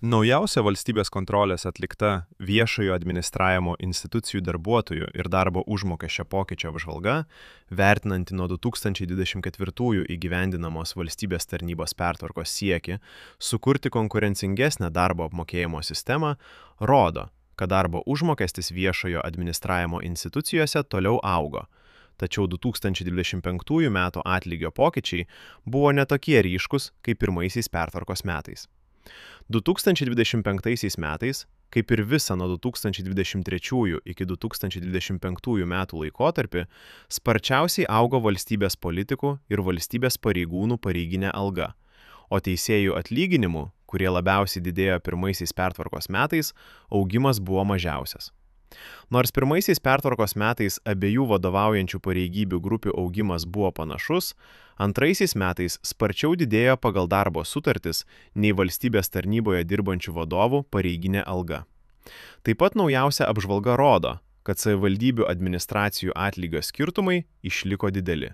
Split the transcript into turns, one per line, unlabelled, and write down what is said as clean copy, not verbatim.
Naujausia valstybės kontrolės atlikta viešojo administravimo institucijų darbuotojų ir darbo užmokesčio pokyčio apžvalga, vertinanti nuo 2024 įgyvendinamos valstybės tarnybos pertvarkos siekį sukurti konkurencingesnę darbo apmokėjimo sistemą, rodo, kad darbo užmokestis viešojo administravimo institucijose toliau augo. Tačiau 2025 metų atlygio pokyčiai buvo netokie ryškus kaip pirmaisiais pertvarkos metais. 2025 metais, kaip ir visą nuo 2023 iki 2025 metų laikotarpį, sparčiausiai augo valstybės politikų ir valstybės pareigūnų pareiginė alga, o teisėjų atlyginimų, kurie labiausiai didėjo pirmaisiais pertvarkos metais, augimas buvo mažiausias. Nors pirmaisiais pertvarkos metais abiejų vadovaujančių pareigybių grupių augimas buvo panašus, antraisiais metais sparčiau didėjo pagal darbo sutartis nei valstybės tarnyboje dirbančių vadovų pareiginė alga. Taip pat naujausia apžvalga rodo, kad savivaldybių administracijų atlygio skirtumai išliko dideli.